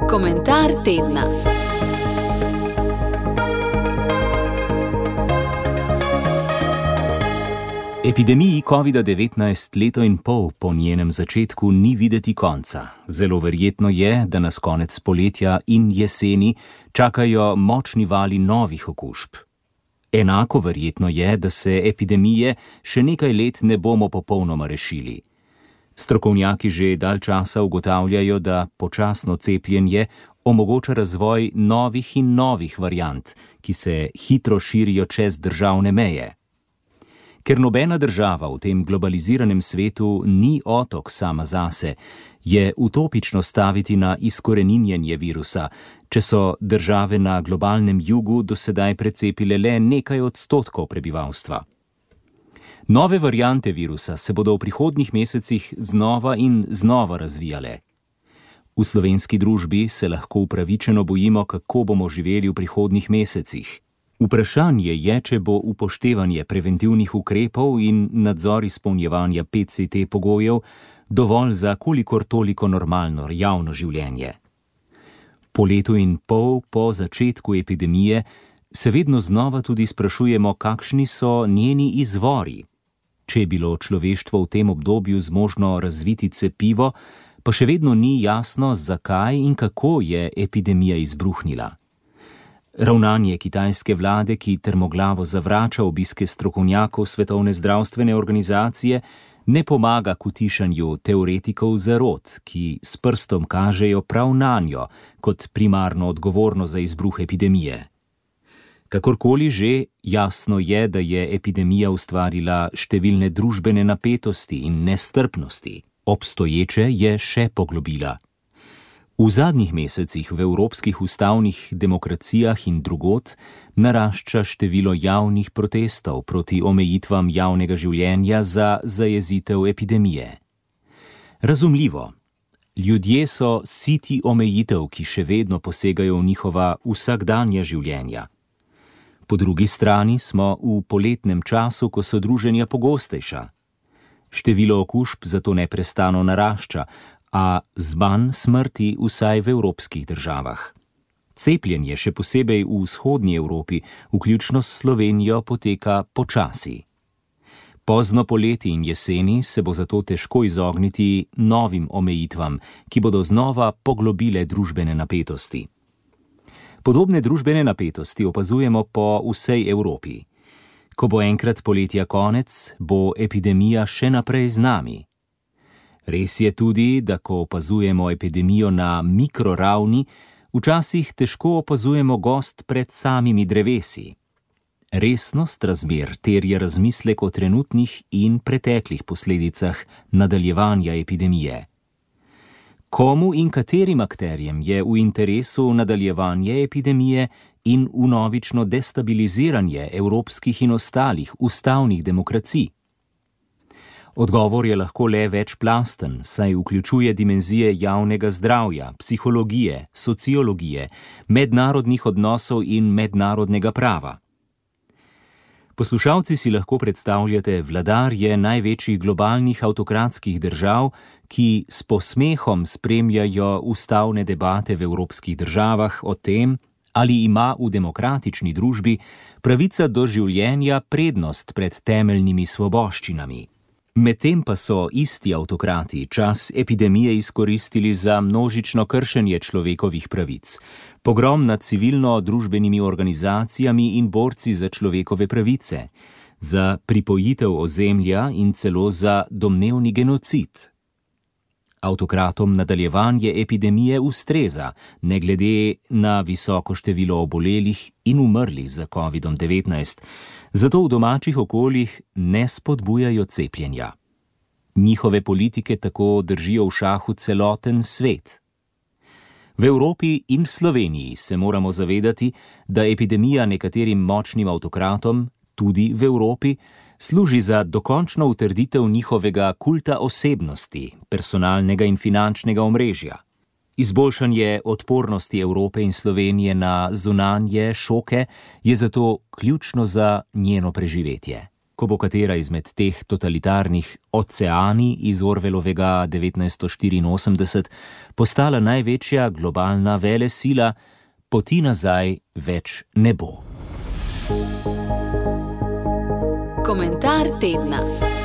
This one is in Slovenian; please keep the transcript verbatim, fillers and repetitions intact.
Komentar tedna. Epidemiji covida devetnajst leto in pol po njenem začetku ni videti konca. Zelo verjetno je, da nas konec poletja in jeseni čakajo močni vali novih okužb. Enako verjetno je, da se epidemije še nekaj let ne bomo popolnoma rešili. Strokovnjaki že dalj časa ugotavljajo, da počasno cepljenje omogoča razvoj novih in novih variant, ki se hitro širijo čez državne meje. Ker nobena država v tem globaliziranem svetu ni otok sama zase, je utopično staviti na izkoreninjenje virusa, če so države na globalnem jugu do sedaj precepile le nekaj odstotkov prebivalstva. Nove variante virusa se bodo v prihodnjih mesecih znova in znova razvijale. V slovenski družbi se lahko upravičeno bojimo, kako bomo živeli v prihodnjih mesecih. Vprašanje je, če bo upoštevanje preventivnih ukrepov in nadzor izpolnjevanja P C T pogojev dovolj za kolikor toliko normalno javno življenje. Po letu in pol po začetku epidemije se vedno znova tudi sprašujemo, kakšni so njeni izvori. Če je bilo človeštvo v tem obdobju zmožno razviti cepivo, pa še vedno ni jasno, zakaj in kako je epidemija izbruhnila. Ravnanje kitajske vlade, ki trmoglavo zavrača obiske strokovnjakov Svetovne zdravstvene organizacije, ne pomaga k utišanju teoretikov zarot, ki s prstom kažejo prav nanjo kot primarno odgovorno za izbruh epidemije. Kakorkoli že, jasno je, da je epidemija ustvarila številne družbene napetosti in nestrpnosti. Obstoječe je še poglobila. V zadnjih mesecih v evropskih ustavnih demokracijah in drugod narašča število javnih protestov proti omejitvam javnega življenja za zajezitev epidemije. Razumljivo, ljudje so siti omejitev, ki še vedno posegajo v njihova vsakdanja življenja. Po drugi strani smo v poletnem času, ko so druženja pogostejša. Število okužb zato neprestano narašča, a zmanj smrti vsaj v evropskih državah. Cepljenje še posebej v vzhodnji Evropi, vključno s Slovenijo, poteka počasi. Pozno poleti in jeseni se bo zato težko izogniti novim omejitvam, ki bodo znova poglobile družbene napetosti. Podobne družbene napetosti opazujemo po vsej Evropi. Ko bo enkrat poletja konec, bo epidemija še naprej z nami. Res je tudi, da ko opazujemo epidemijo na mikroravni, včasih težko opazujemo gozd pred samimi drevesi. Resnost razmer terja razmislek o trenutnih in preteklih posledicah nadaljevanja epidemije. Komu in katerim akterjem je v interesu nadaljevanje epidemije in vnovično destabiliziranje evropskih in ostalih ustavnih demokracij? Odgovor je lahko le večplasten, saj vključuje dimenzije javnega zdravja, psihologije, sociologije, mednarodnih odnosov in mednarodnega prava. Poslušalci si lahko predstavljate vladarje največjih globalnih avtokratskih držav, ki s posmehom spremljajo ustavne debate v evropskih državah o tem, ali ima v demokratični družbi pravica do življenja prednost pred temeljnimi svoboščinami. Medtem pa so isti avtokrati čas epidemije izkoristili za množično kršenje človekovih pravic, pogrom nad civilno-družbenimi organizacijami in borci za človekove pravice, za pripojitev ozemlja in celo za domnevni genocid. Avtokratom nadaljevanje epidemije ustreza, ne glede na visoko število obolelih in umrlih za covidom devetnajst, zato v domačih okoljih ne spodbujajo cepljenja. Njihove politike tako držijo v šahu celoten svet. V Evropi in v Sloveniji se moramo zavedati, da epidemija nekaterim močnim avtokratom, tudi v Evropi, služi za dokončno utrditev njihovega kulta osebnosti, personalnega in finančnega omrežja. Izboljšanje odpornosti Evrope in Slovenije na zunanje šoke je zato ključno za njeno preživetje. ko bo katera izmed teh totalitarnih oceani iz Orwellovega devetnajststo štiriinosemdeset postala največja globalna velesila, poti nazaj več ne bo. Komentar tedna.